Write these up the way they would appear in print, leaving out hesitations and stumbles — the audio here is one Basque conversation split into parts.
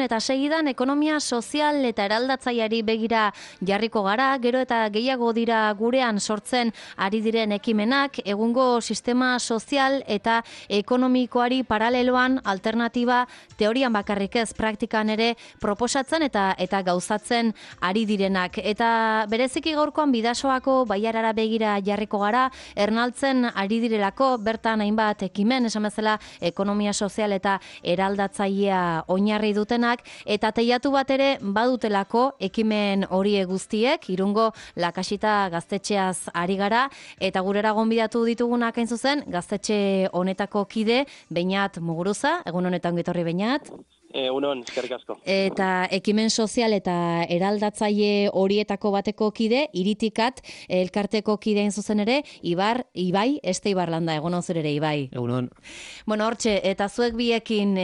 Eta segidan ekonomia sozial eta eraldatzaileari begira jarriko gara, gero eta gehiago dira gurean sortzen ari diren ekimenak, egungo sistema sozial eta ekonomikoari paraleloan alternatiba teorian bakarrik ez, praktikan ere proposatzen eta gauzatzen ari direnak. Eta bereziki gaurkoan Bidasoako bailarara begira jarriko gara, ernaltzen ari direlako bertan hainbat ekimen, esan bezala ekonomia sozial eta eraldatzailea oinarri dutenak, eta teiatu bat ere badutelako ekimen horiek guztiek, Irungo Lakasita gaztetxeaz ari gara, eta gurera gonbidatu ditugunak hain zuzen, gaztetxe honetako kide, Beñat Muguruza, egun honetan gitorri Beñat. Egunon, eskerrik asko. Eta ekimen sozial eta eraldatzaile horietako bateko kide, Iritikat elkarteko kide hain zuzen ere, Ibai, este Ibarlanda, egunon zer ere, Ibai. Egunon. Bueno, hortxe, eta zuek biekin,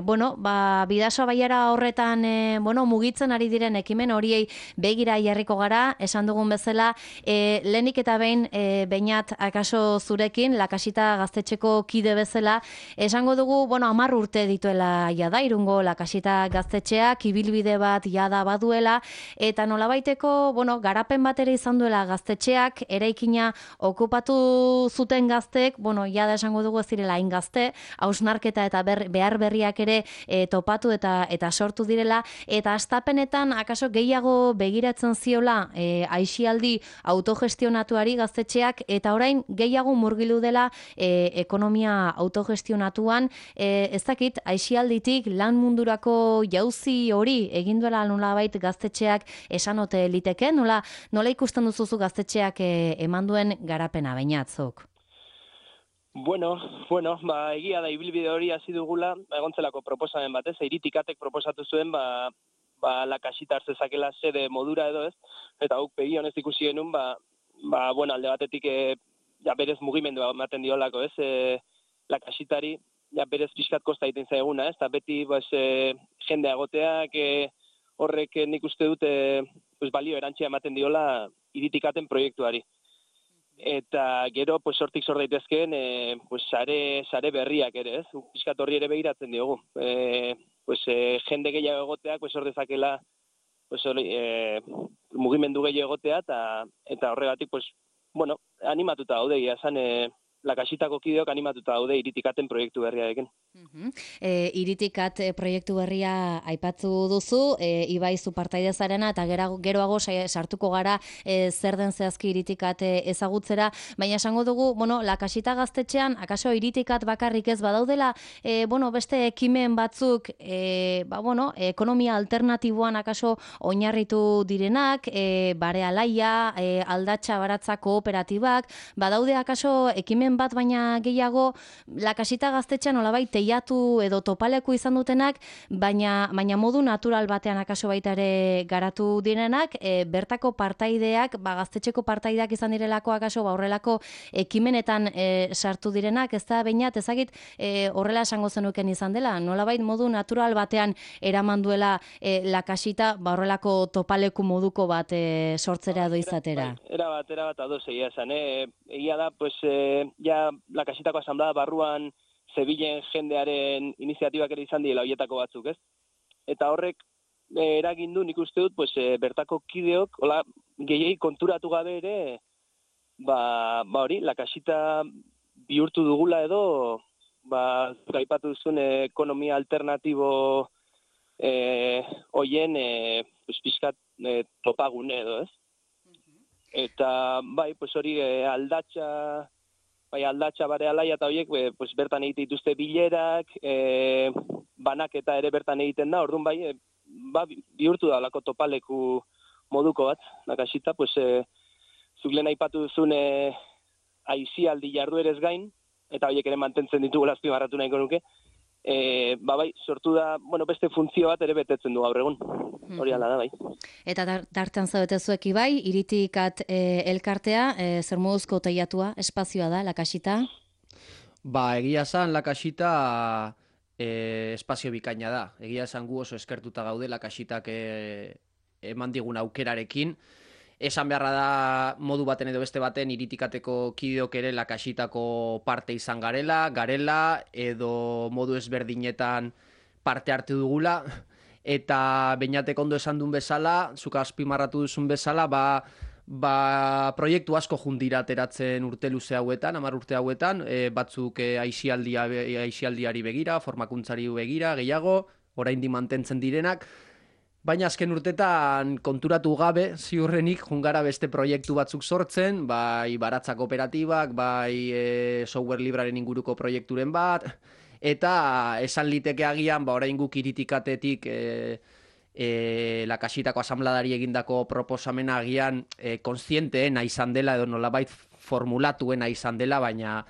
Bidasoa baiara horretan, mugitzen ari diren ekimen horiei begira jarriko gara, esan dugun bezala, lehenik eta behin, Beñat, akaso zurekin, Lakasita gaztetxeko kide bezala, esango dugu, 10 urte dituela jada, Irungo Lakasita gaztetxeak, ibilbide bat jada baduela, eta nolabaiteko, garapen bat ere izan duela gaztetxeak, eraikina okupatu zuten gaztek, jada esango dugu ez direla hain gazte, hausnarketa eta behar berriak ere topatu eta sortu direla, eta hastapenetan akaso gehiago begiratzen ziola aisialdi autogestionatuari gaztetxeak, eta orain gehiago murgilu dela ekonomia autogestionatuan, ez dakit, aisialditik lan mundurako jauzi hori egin duela nolabait gaztetxeak esanote liteke, nola ikusten duzuzu gaztetxeak eman duen garapena, Beñatzok? Bueno, egia da ibilbide hori hasi dugula, egontzelako proposamen batez, Iritikatek proposatu zuen, Lakasita hartzezakela sede modura edo ez, eta guk begi honez ikusi genuen, alde batetik berez mugimendua ematen diolako ez, Lakasitari, berez pixkat kosta egiten zaiguna, ez, eta beti jende agoteak horrek nik uste dute balio erantzia ematen diola Iritikaten proiektuari. Eta gero, sortik sor daitezkeen, sare berriak ere, ez? Pixkat horri ere begiratzen diogu. Jende gehiago egoteak, hor dezakela, mugimendu gehiago egotea, eta horregatik, animatuta daude, esan, Lakasitako kideok animatuta daude Iritikaten proiektu berriarekin. Iritikat proiektu berria aipatzu duzu, Ibai zu partaide zarena, eta geroago sartuko gara zer den zehazki Iritikat ezagutzera, baina esango dugu, Lakasita gaztetxean, akaso Iritikat bakarrik ez badaudela, beste ekimen batzuk, ekonomia alternatiboan akaso oinarritu direnak, Barealaia, Aldatxa Baratza kooperatibak, badaude akaso ekimen bat baina gehiago Lakasita gaztetxean nolabait teiatu edo topaleku izan dutenak, baina modu natural batean akaso baita ere garatu direnak, bertako partaideak, gaztetxeko partaideak izan direlako akaso horrelako ekimenetan sartu direnak, ez da Beñat, ezagit horrela esango zenuken izan dela, nolabait modu natural batean eraman duela Lakasita horrelako topaleku moduko bat sortzera edo izatera. Erabat ados egia esan, egia da, Lakasitako asamblea barruan Zebilen jendearen iniziatibak ere izan diela horietako batzuk, ez? Eta horrek eragin du nik uste dut, bertako kideok, gehiei konturatu gabe ere, hori, Lakasita bihurtu dugula edo, aipatu duzun ekonomia alternatibo hoien pixkat topagune edo, ez? Eta, hori Aldatxa Barealaia eta horiek bertan egite dituzte bilerak, banaketa ere bertan egiten da, orduan bihurtu da lako topaleku moduko bat, Lakasita, zuk lehen aipatu duzun aisialdi jarduerez gain, eta horiek ere mantentzen ditugu azpimarratu nahiko nuke, sortu da, beste funtzio bat ere betetzen du gaur egun. Hori ala da, bai. Eta tartean zaudete zuek Ibai, Iritikat elkartea, zer moduzko teiatua, espazioa da, Lakasita? Egia esan, Lakasita espazio bikaina da. Egia esan gu oso eskertuta gaude Lakasitak eman digun aukerarekin. Esan beharra da modu baten edo beste baten Iritikateko kideok ere Lakasitako parte izan garela edo modu ezberdinetan parte hartu dugula. eta Beñatek ondo esan duen bezala, zuk azpimarratu duzun bezala, proiektu asko jundira ateratzen urte luze hauetan, 10 urte hauetan, batzuk aisialdiari begira, formakuntzari begira, gehiago, oraindik mantentzen direnak, baina azken urtetan konturatu gabe, ziurrenik jungara beste proiektu batzuk sortzen, bai baratza kooperatibak, bai software libraren inguruko proiekturen bat, eta esan liteke agian, orain guk iritikatetik Lakasitako asambladari egindako proposamena agian kontzienteena izan dela edo nolabait formulatuena izan dela, baina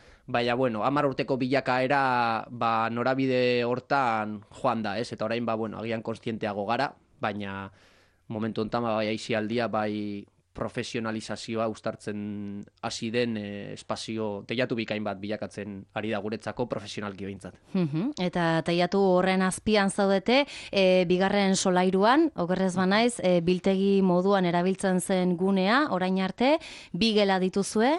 bueno, 10 urteko bilakaera norabide hortan joan da, ez? Eta orain agian kontzienteago gara, baina momentu honetan bai aisialdia, bai profesionalizazioa uztartzen hasi den espazio teilatu bikain bat bilakatzen ari da guretzako profesionalki behintzat. Eta teilatu horren azpian zaudete, bigarren solairuan, okerrez banaiz, biltegi moduan erabiltzen zen gunea, orain arte, 2 gela dituzue,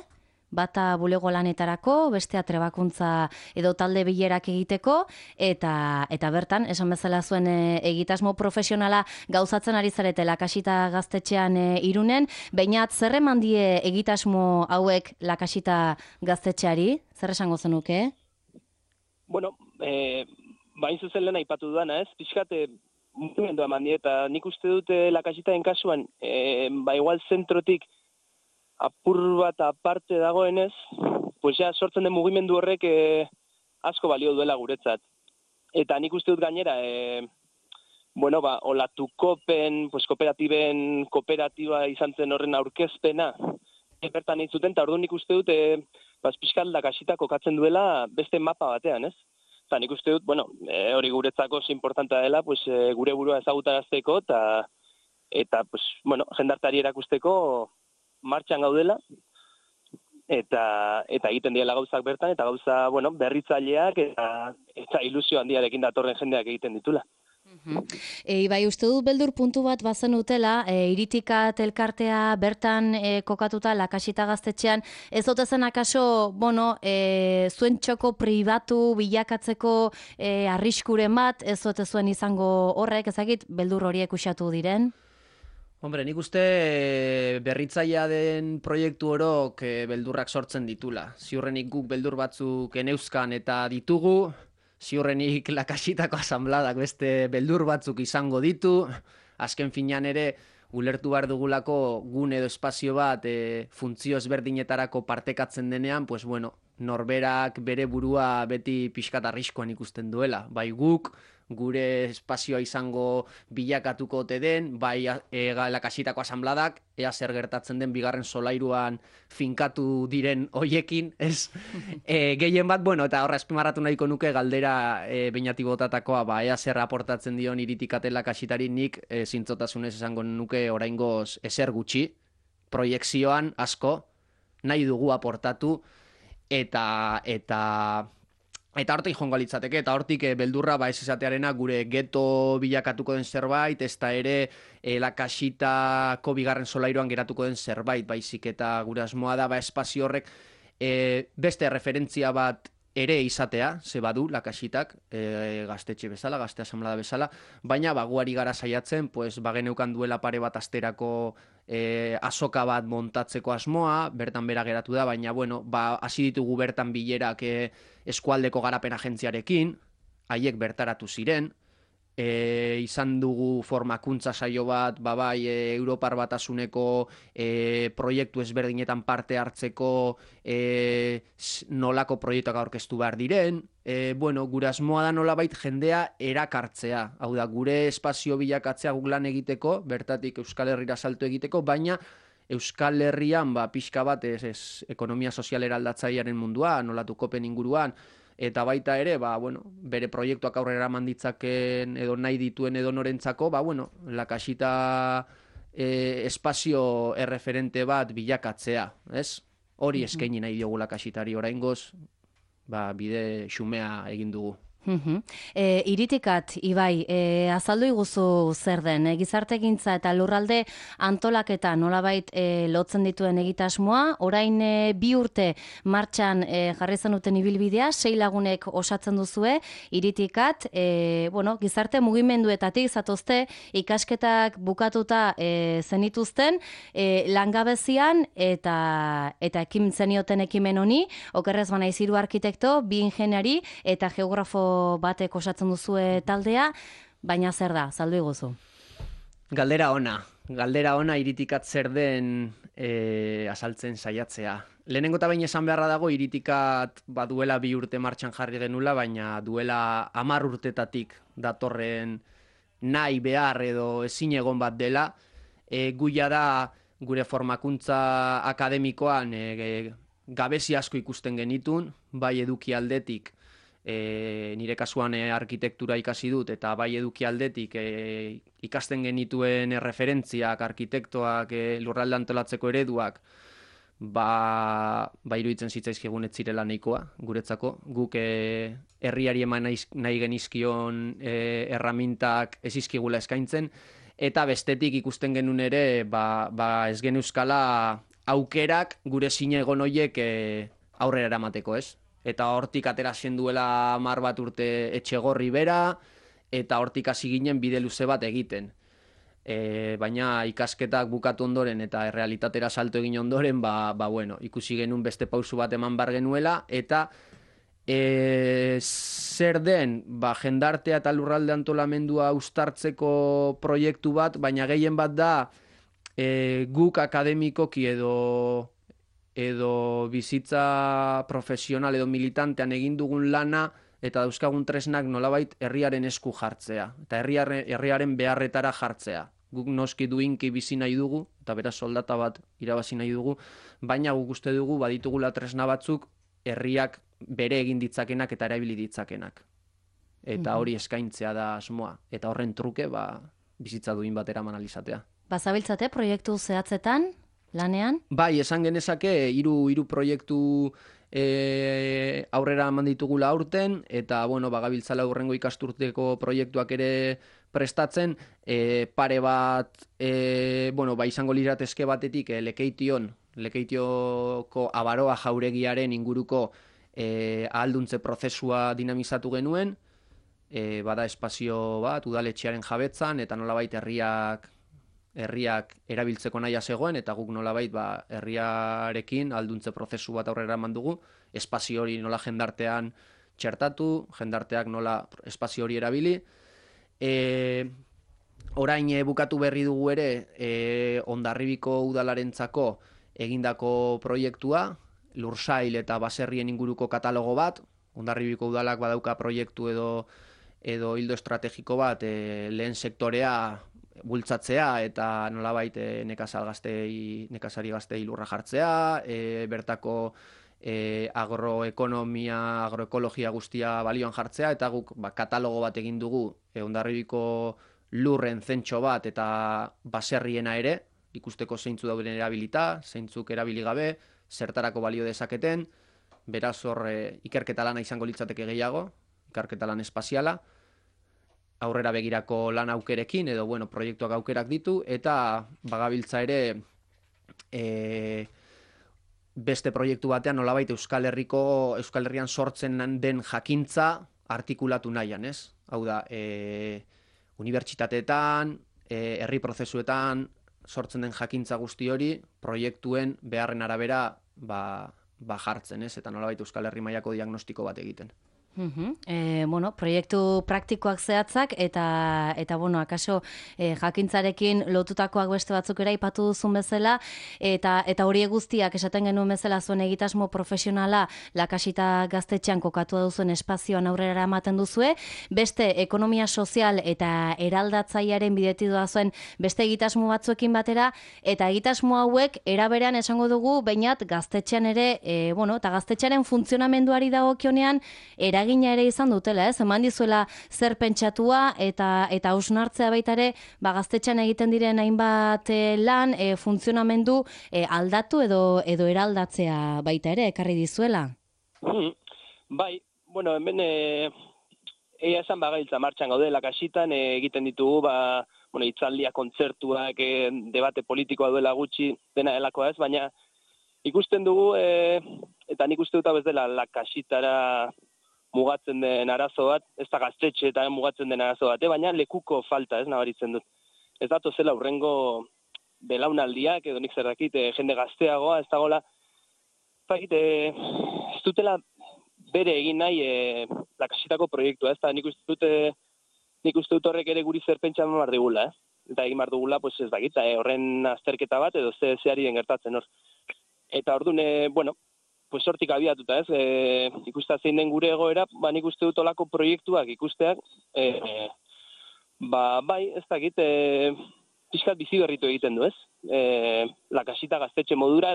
bata bulego lanetarako, bestea trebakuntza edo talde bilerak egiteko, eta bertan, esan bezala zuen egitasmo profesionala gauzatzen ari zarete Lakasita gaztetxean Irunen, Beñat, zer eman die egitasmo hauek Lakasita gaztetxeari? Zer esango zenuke? Bueno, bain zuzen lehen aipatu dudana, ez? Pixkat, mugimendua eman die, eta nik uste dute Lakasitaren kasuan, igual zentrotik apur bat aparte dagoenez, pues ja sortzen den mugimendu horrek asko balio duela guretzat. Eta nik uste dut gainera, Olatukopen, kooperatiba izan zen horren aurkezpena, bertan egin zuten, eta orduan nik uste dut, pixkat Lakasita kokatzen duela beste mapa batean, ez? Eta nik uste dut, hori guretzako oso importantea dela, gure burua ezagutarazteko, eta jendartari erakusteko martxan gaudela, eta egiten diela gauzak bertan, eta gauza, berritzaileak eta ilusio handiarekin datorren jendeak egiten ditula. Bai, uste dut beldur puntu bat bazen utela, Iritikat elkartea bertan kokatuta Lakasita gaztetxean, ez ote zen akaso, zuen txoko pribatu bilakatzeko arriskuren bat, ez ote zuen izango horrek, ezagit, beldur horiek usatu diren? Hombre, nik uste berritzailea den proiektu orok beldurrak sortzen ditula. Ziurrenik guk beldur batzuk eneuzkan eta ditugu, ziurrenik Lakasitako asambladak beste beldur batzuk izango ditu, azken finean ere ulertu behar dugulako gune edo espazio bat funtzio ezberdinetarako partekatzen denean, norberak bere burua beti pixkat arriskoan ikusten duela. Bai guk, gure espazioa izango bilakatuko ote den, bai Lakasitako asambladak, ea zer gertatzen den bigarren solairuan finkatu diren hoiekin, ez? Gehien bat, eta horra azpimarratu nahiko nuke galdera Beñati botatakoa, ea zer aportatzen dion Iritikate Lakasitari, nik zintzotasunez esango nuke oraingoz ezer gutxi, proiekzioan asko, nahi dugu aportatu, eta hortik joango litzateke, eta hortik beldurra ez esatearena gure geto bilakatuko den zerbait, ez da ere Lakasitako bigarren solairuan geratuko den zerbait, baizik eta gure asmoa da espazio horrek beste referentzia bat ere izatea, ze badu Lakasitak, gaztetxe bezala, gazte asamblada bezala, baina guari gara saiatzen, bageneukan duela pare bat asterako azoka bat montatzeko asmoa, bertan bera geratu da, baina hasi ditugu bertan bilerak eskualdeko garapen agentziarekin, haiek bertaratu ziren, izan dugu formakuntza saio bat, Europar Batasuneko proiektu ezberdinetan parte hartzeko nolako proiektuak aurkeztu behar diren, gure asmoa da nolabait jendea erakartzea, hau da, gure espazio bilakatzea guk lan egiteko, bertatik Euskal Herrira salto egiteko, baina Euskal Herrian pixka bat ekonomia sozial eraldatzailearen munduan, Olatukopen inguruan, eta baita ere, bere proiektuak aurrera eraman ditzaken edo nahi dituen edo norentzako, Lakasita espazio erreferente bat bilakatzea, ez? Hori eskaini nahi diogu Lakasitari oraingoz, bide xumea egin dugu. Iritikat, Ibai, azaldu iguzu zer den, gizartegintza eta lurralde antolaketa nolabait lotzen dituen egitasmoa, orain 2 urte martxan jarri zenuten ibilbidea, 6 lagunek osatzen duzue, Iritikat, gizarte mugimenduetatik zatozte ikasketak bukatuta zenituzten, langabezian eta ekin zenioten ekimen honi, okerrez banaiz 3 arkitekto, 2 ingeniari eta geografo batek osatzen duzue taldea, baina zer da, saldu iguzu? Galdera ona Iritikat zer den azaltzen saiatzea. Lehenengo eta behin esan beharra dago Iritikat baduela 2 urte martxan jarri genula, baina duela 10 urtetatik datorren nahi behar edo ezin egon bat dela, guia da gure formakuntza akademikoan gabezi asko ikusten genitun, bai eduki aldetik, nire kasuan arkitektura ikasi dut, eta bai eduki aldetik ikasten genituen referentziak, arkitektoak, lurralde antolatzeko ereduak, iruditzen zitzaizkigun ez zirela nahikoa guretzako. Guk herriari eman nahi genizkion erramintak ez izkigula eskaintzen, eta bestetik ikusten genuen ere ez geneuskala aukerak gure zine egon horiek aurrera eramateko, ez? Eta hortik atera duela 10 bat urte Etxegorri bera, eta hortik hasi ginen bide luze bat egiten. Baina ikasketak bukatu ondoren eta errealitatera salto egin ondoren, ikusi genuen beste pausu bat eman bar genuela, eta zer den, jendartea eta lurralde antolamendua uztartzeko proiektu bat, baina gehien bat da guk akademikoki edo bizitza profesional edo militantean egin dugun lana eta dauzkagun tresnak nolabait herriaren esku jartzea, eta herriaren beharretara jartzea. Guk noski duinki bizi nahi dugu, eta beraz soldata bat irabazi nahi dugu, baina guk uste dugu baditugula tresna batzuk herriak bere egin ditzakenak eta erabili ditzakenak. Eta hori eskaintzea da asmoa, eta horren truke bizitza duin bat eraman alizatea. Bazabiltzate proiektu zehatzetan, lanean? Bai, esan genezake, 3 proiektu aurrera eman ditugula aurten, eta bagabiltzala hurrengo ikasturteko proiektuak ere prestatzen, pare bat, izango liratezke batetik Lekeitioko Abaroa jauregiaren inguruko ahalduntze prozesua dinamizatu genuen, bada espazio bat, udaletxearen jabetzan, eta nolabait herriak erabiltzeko nahia zegoen, eta guk nolabait herriarekin alduntze prozesu bat aurrera eman dugu, espazio hori nola jendartean txertatu, jendarteak nola espazio hori erabili. Orain bukatu berri dugu ere Hondarribiko udalarentzako egindako proiektua, Lursail eta baserrien inguruko katalogo bat. Hondarribiko udalak badauka proiektu edo hildo estrategiko bat lehen sektorea bultzatzea eta nolabait nekazari gaztei lurra jartzea, bertako agroekologia guztia balioan jartzea, eta guk katalogo bat egin dugu Hondarribiko lurren zentxo bat eta baserriena ere, ikusteko zeintzu dauden erabilita, zeintzuk erabili gabe, zertarako balio dezaketen, beraz hor ikerketa lana izango litzateke gehiago, ikerketa lan espaziala, aurrera begirako lan aukerekin, edo proiektuak aukerak ditu, eta bagabiltza ere beste proiektu batean nolabait Euskal Herrian sortzen den jakintza artikulatu nahian, ez? Hau da, unibertsitateetan, herri prozesuetan sortzen den jakintza guzti hori, proiektuen beharren arabera jartzen, ez? Eta nolabait Euskal Herri mailako diagnostiko bat egiten. Proiektu praktikoak zehatzak eta akaso jakintzarekin lotutakoak beste batzuk ere aipatu duzun bezala eta hori guztiak esaten genuen bezala zuen egitasmo profesionala Lakasita gaztetxean kokatu duzuen espazioan aurrera ematen duzue, beste ekonomia sozial eta eraldatzailearen bidetik doa zuen beste egitasmo batzuekin batera, eta egitasmo hauek eraberean esango dugu bainat gaztetxean ere eta gaztetxearen funtzionamenduari dagokionean eragina ere izan dutela, ez? Eman dizuela zer pentsatua eta hausnartzea baita ere, gaztetxean egiten diren hainbat lan, funtzionamendu aldatu edo eraldatzea baita ere, ekarri dizuela. Bai, hemen Egia esan bagailtza martxan gaude, lakasitan egiten ditugu, hitzaldia, kontzertuak, debate politikoa duela gutxi, dena delakoa ez, baina ikusten dugu, eta nik uste dut hau ez dela lakasitara mugatzen den arazo bat, ez da gaztetxe eta mugatzen den arazo bat, baina lekuko falta ez nabaritzen dut. Ez dato zela urrengo belaunaldiak, edo nik zerrakit, jende gazteagoa, ez dagoela, ez dutela bere egin nahi lakasitako proiektua, ez da nik uste dut horrek ere guri zer pentsa behar digula, eta egin behar dugula, pues ez dakit, horren azterketa bat, edo zeari den gertatzen hor. Eta orduan, pues hortik abiatuta, ez, ikusta zein den gure egoera, nik uste dut olako proiektuak ikusteak, bai, ez dakit, pixkat bizi berritu egiten du, ez? Lakasita gaztetxe modura,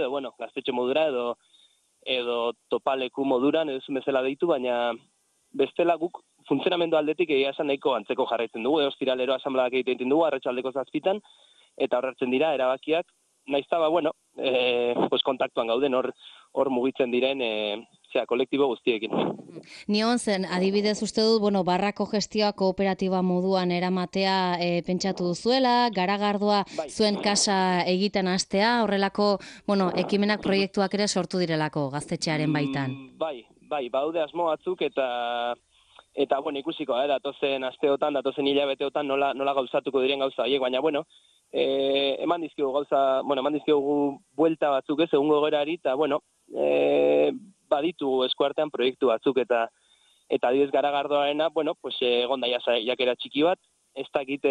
edo topaleku moduran, edo bezala deitu, baina bestela guk funtzionamendu aldetik egia esan nahiko antzeko jarraitzen dugu, ostiralero asanbladak egiten dugu, arratsaldeko 7 eta horretzen dira erabakiak, naizta pues kontaktuan gauden hor mugitzen diren kolektibo guztiekin. Nion zen, adibidez uste dut, barrako gestioa kooperatiba moduan eramatea pentsatu duzuela, garagardoa zuen kasa egiten hastea, horrelako, ekimenak proiektuak ere sortu direlako gaztetxearen baitan. Bai, baude asmo batzuk eta ikusiko, datozen asteotan, datozen hilabeteotan nola gauzatuko diren gauza horiek, baina eman dizkiogu buelta batzuk ez egungo gerari, eta baditu eskuartean proiektu batzuk eta adibidez garagardoarena, egon da jakera txiki bat, ez dakit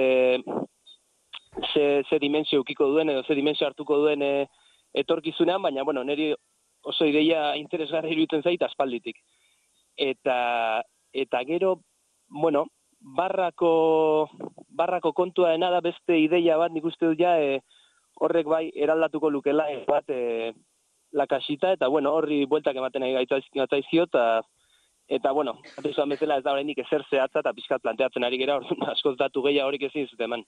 ze dimensio ukiko duen edo ze dimensio hartuko duen etorkizunean, baina niri oso ideia interesgarri iruditzen zait aspalditik. Eta gero, barrako kontua dena da beste ideia bat, nik uste dut horrek bai eraldatuko lukela bat lakasita, eta horri bueltak ematen nahi gatzaizkio, eta atezuan bezala ez da horreinik ezer zehatza, eta pixkat planteatzen ari gera, askoz datu gehiago horik ezin zut eman.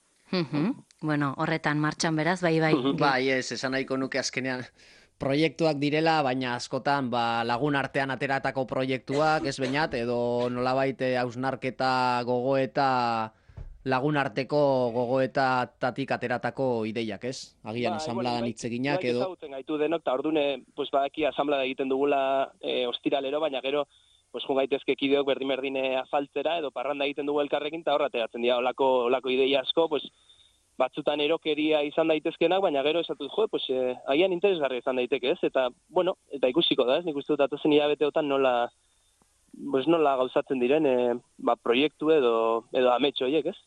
Horretan martxan beraz, bai. Bai, esan nahiko nuke azkenean proiektuak direla, baina askotan lagun artean ateratako proiektuak, ez bainat, edo nolabait hausnarketa gogoeta lagun arteko gogoetatik ateratako ideiak, ez? Agian asanbladan hitzeginak edo... Ezagutzen gaitu denok, eta orduan, badaki asanblada egiten dugula ostiralero, baina gero, gaitezke kideok berdin afaltzera, edo parranda egiten dugu elkarrekin, eta horra ateratzen dira olako ideia asko, batzutan erokeria izan daitezkenak, baina gero esatut, agian interesgarri izan daiteke, ez? Eta ikusiko da, ez? Nik uste dut atozen hilabeteotan nola gauzatzen diren proiektu edo ametxo horiek, ez?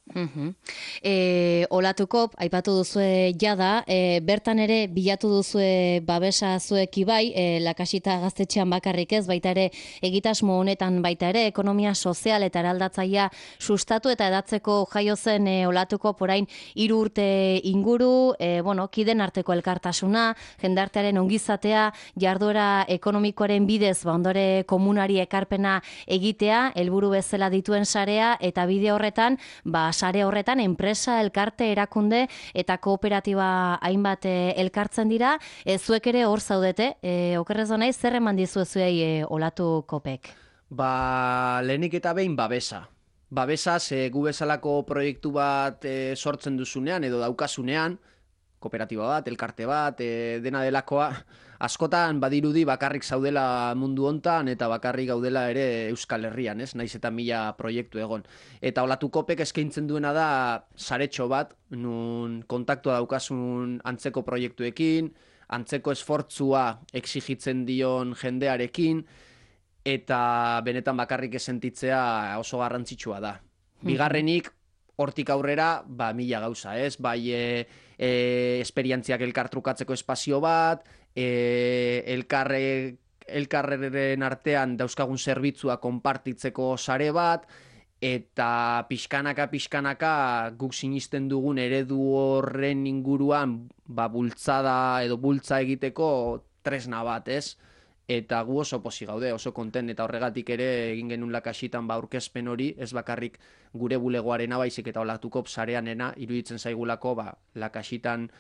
Olatukop, aipatu duzue jada, bertan ere bilatu duzue babesa zuek ibai, lakasita gaztetxean bakarrik ez, baita ere egitasmo honetan baita ere, ekonomia sozial eta eraldatzaia sustatu eta edatzeko jaio zen Olatukop orain 3 urte inguru, kiden arteko elkartasuna, jendartearen ongizatea, jarduera ekonomikoaren bidez, ondore komunari ekarpena egitea, helburu bezala dituen sarea, eta bide horretan, sare horretan enpresa, elkarte, erakunde eta kooperatiba hainbat elkartzen dira. Zuek ere hor zaudete, okerrez da naiz, zer eman dizuezuei Olatukopek? Lehenik eta behin babesa. Babesa, gu bezalako proiektu bat sortzen duzunean edo daukasunean, kooperatiba bat, elkarte bat, dena delakoa, askotan badirudi bakarrik zaudela mundu hontan eta bakarrik gaudela ere Euskal Herrian, ez? Naiz eta 1000 proiektu egon. Eta Olatukopek eskaintzen duena da saretxo bat, nun kontaktua daukasun antzeko proiektuekin, antzeko esfortzua exigitzen dion jendearekin, eta benetan bakarrik esentitzea oso garrantzitsua da. Bigarrenik, hortik aurrera, 1000 gauza, ez? Bai, esperientziak elkartrukatzeko espazio bat, elkarren artean dauzkagun zerbitzua konpartitzeko sare bat, eta pixkanaka guk sinisten dugun eredu horren inguruan bultzada edo bultza egiteko tresna bat, ez? Eta gu oso posi gaude, oso kontent, eta horregatik ere egin genuen lakasitan aurkezpen hori, ez bakarrik gure bulegoarena baizik eta Olatukop sareanena, iruditzen zaigulako lakasitan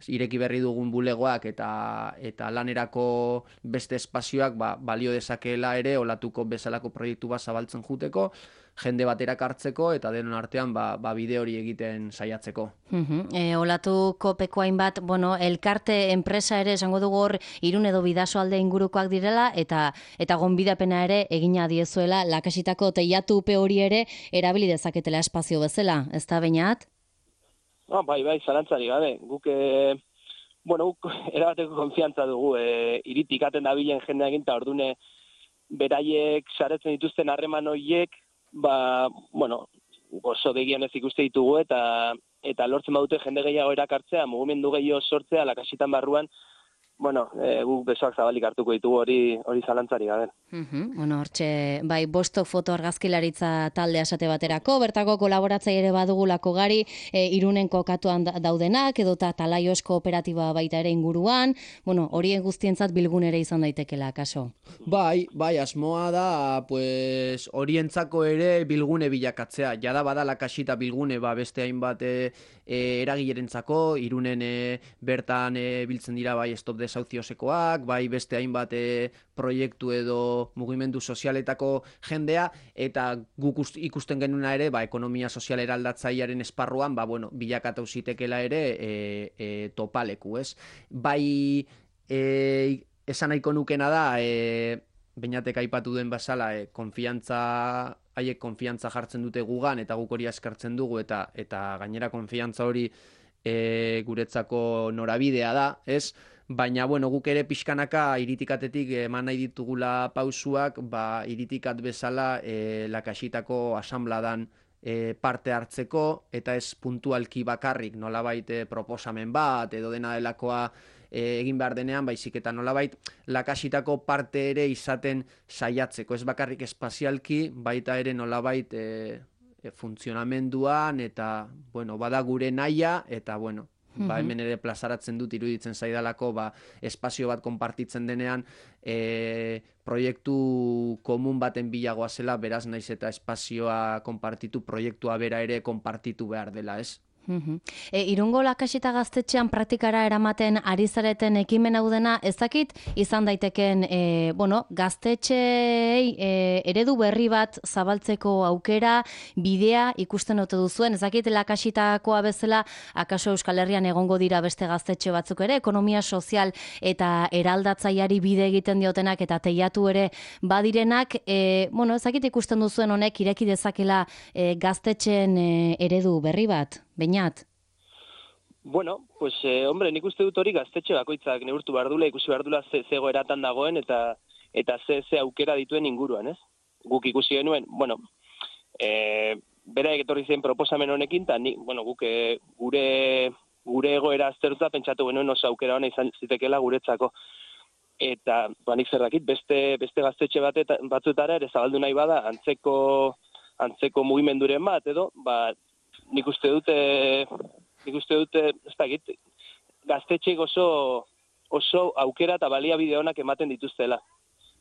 ireki berri dugun bulegoak eta lanerako beste espazioak balio dezakeela ere olatuko bezalako proiektu bat zabaltzen juteko, jende bat erakartzeko eta denon artean bide hori egiten saiatzeko. Olatuko pekuain bat, elkarte enpresa ere esango dugu hor Irun edo Bidasoalde ingurukoak direla eta gonbidapena ere egina diezuela Lakasitako teiatupe hori ere erabili dezaketela espazio bezala, ez da Beñat? Bai, zalantzari gabe. Guk erabateko konfiantza dugu hiritik aten dabilen jendea egin, eta ordune beraiek saretzen dituzten harreman horiek, oso begian ez ikuste ditugu eta lortzen badute jende gehiago erakartzea, mugimendu gehiago sortzea, Lakasitan barruan, guk besoak zabalik hartuko ditugu hori zalantzari gabe. Hortxe, Bostok foto argazkilaritza talde esate baterako, bertako kolaboratzaile ere badugulako gari, Irunen kokatuan daudenak, edota Talaios kooperatiba baita ere inguruan, horien guztientzat bilgunere izan daitekela, kaso? Bai, asmoa da, horientzako ere bilgune bilakatzea. Jada bada Lakasita bilgune, beste hainbat eragilerentzako, Irunen bertan biltzen dira stop desauziosekoak, beste hainbat proiektu edo mugimendu sozialetako jendea, eta guk ikusten genuna ere, ekonomia sozial eraldatzailearen esparruan, bilakatu zitekela ere topaleku, ez? Esan nahiko nukena da, Beñatek aipatu den bazala, haiek konfiantza jartzen dute gugan, eta guk hori eskartzen dugu, eta gainera konfiantza hori guretzako norabidea da, ez? Baina, guk ere pixkanaka iritikatetik eman nahi ditugula pausuak, iritikat bezala Lakasitako asanbladan parte hartzeko, eta ez puntualki bakarrik nolabait proposamen bat, edo dena delakoa egin behar denean, baizik eta nolabait Lakasitako parte ere izaten saiatzeko, ez bakarrik espazialki, baita ere nolabait funtzionamenduan, eta, bada gure nahia, eta, hemen ere plazaratzen dut iruditzen zaidalako espazio bat konpartitzen denean proiektu komun baten bilagoa zela, beraz naiz eta espazioa konpartitu, proiektua bera ere konpartitu behar dela, ez? Irungo Lakasita gaztetxean praktikara eramaten ari zareten ekimen hau dena, ez dakit izan daiteken gaztetxeei eredu berri bat zabaltzeko aukera, bidea ikusten ote duzuen, ez dakit Lakasitakoa bezala, akaso Euskal Herrian egongo dira beste gaztetxe batzuk ere, ekonomia sozial eta eraldatzaileari bide egiten diotenak eta teiatu ere badirenak, ez dakit ikusten duzuen honek ireki dezakela gaztetxeen eredu berri bat? Beñat? Nik uste dut hori gaztetxe bakoitzak neurtu behar dula, ikusi behar dula ze egoeratan dagoen eta ze aukera dituen inguruan, ez? Guk ikusi genuen, beraek etorri zen proposamen honekin, eta guk gure egoera aztertuta pentsatu genuen oso aukera hona izan zitekela guretzako. Eta, nik zerrakit, beste gaztetxe batzuetara ere zabaldu nahi bada, antzeko mugimenduren bat, edo, nik uste dute, ez dakit, gaztetxeek oso aukera eta baliabide honak ematen dituztela.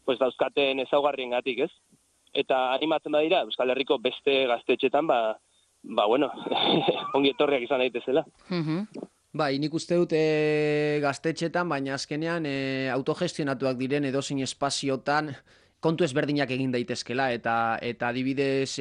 Dauzkaten ezaugarrien gatik, ez? Eta animatzen badira, Euskal Herriko beste gaztetxetan, ongi etorriak izan daitezela. Nik uste dut gaztetxetan, baina azkenean autogestionatuak diren edozein espaziotan kontu ezberdinak egin daitezkela, eta adibidez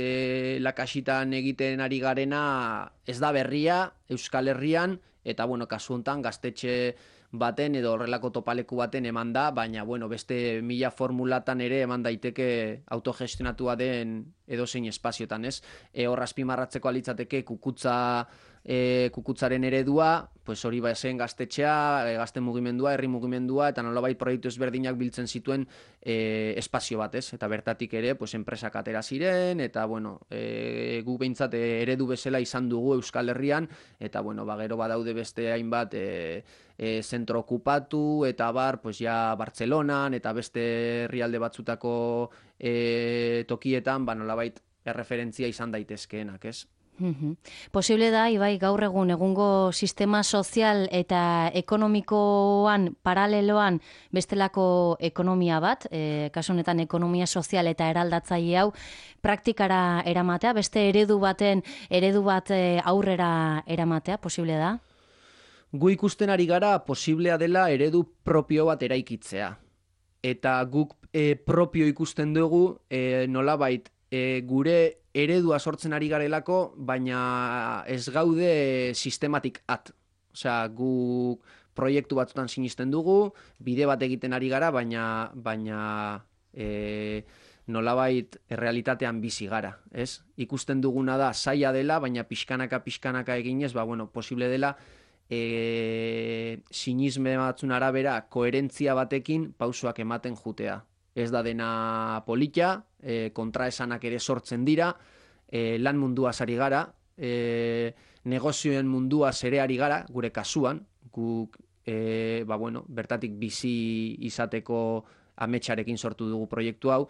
Lakasitan egiten ari garena ez da berria Euskal Herrian, eta kasu honetan gaztetxe baten edo horrelako topaleku baten eman da, baina beste 1000 formulatan ere eman daiteke autogestionatua den edozein espaziotan, ez? Hor azpimarratzeko alitzateke kukutzaren eredua, hori zen gaztetxea, gazte mugimendua, herri mugimendua, eta nolabait proiektu ezberdinak biltzen zituen espazio bat, ez? Eta bertatik ere, enpresak atera ziren, eta guk behintzat eredu bezala izan dugu Euskal Herrian, eta gero badaude beste hainbat zentro okupatu, eta Bartzelonan, eta beste herrialde batzutako tokietan, nolabait erreferentzia izan daitezkeenak, ez? Posible da, Ibai, gaur egungo sistema sozial eta ekonomikoan paraleloan bestelako ekonomia bat, kasu honetan ekonomia sozial eta eraldatzaile hau praktikara eramatea, beste eredu bat aurrera eramatea, posible da? gu ikusten ari gara posiblea dela eredu propio bat eraikitzea. Eta guk propio ikusten dugu nolabait gure eredua sortzen ari garelako, baina ez gaude sistematik at. Osea, guk proiektu batzutan sinisten dugu, bide bat egiten ari gara, baina nolabait errealitatean bizi gara, ez? Ikusten duguna da zaila dela, baina pixkanaka eginez, posible dela sinisme batzun arabera koherentzia batekin pausoak ematen jutea. Ez da dena polita, kontraesanak ere sortzen dira, lan mundua ari gara, negozioen mundua ere ari gara, gure kasuan, guk bertatik bizi izateko ametsarekin sortu dugu proiektu hau,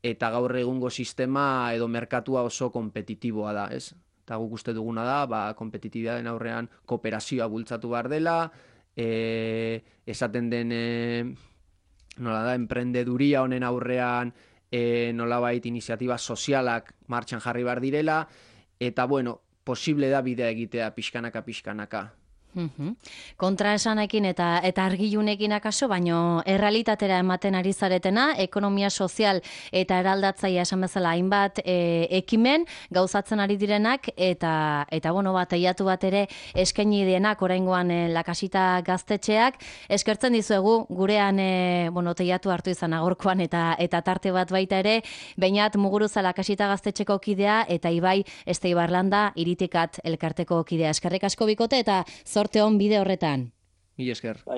eta gaur egungo sistema edo merkatua oso kompetitiboa da, ez? Eta guk uste duguna da, kompetitibitateen aurrean kooperazioa bultzatu behar dela, esaten den emprendeduria honen aurrean nolabait iniziatiba sozialak martxan jarri behar direla, eta posible da bidea egitea pixkanaka. Kontraesanekin eta argilunekin akaso, baino errealitatera ematen ari zaretena, ekonomia sozial eta eraldatzaia esan bezala hainbat ekimen gauzatzen ari direnak, eta teiatu bat ere eskaini dienak oraingoan La Casita gaztetxeak. Eskertzen dizuegu gurean teiatu hartu izan agorkoan eta tarte bat baita ere, Beñat Muguruza La Casita gaztetxeko kidea eta Ibai Esteibarlanda Iritikat elkarteko kidea. Eskerrik asko bikote eta zorte on bide horretan. Mila esker.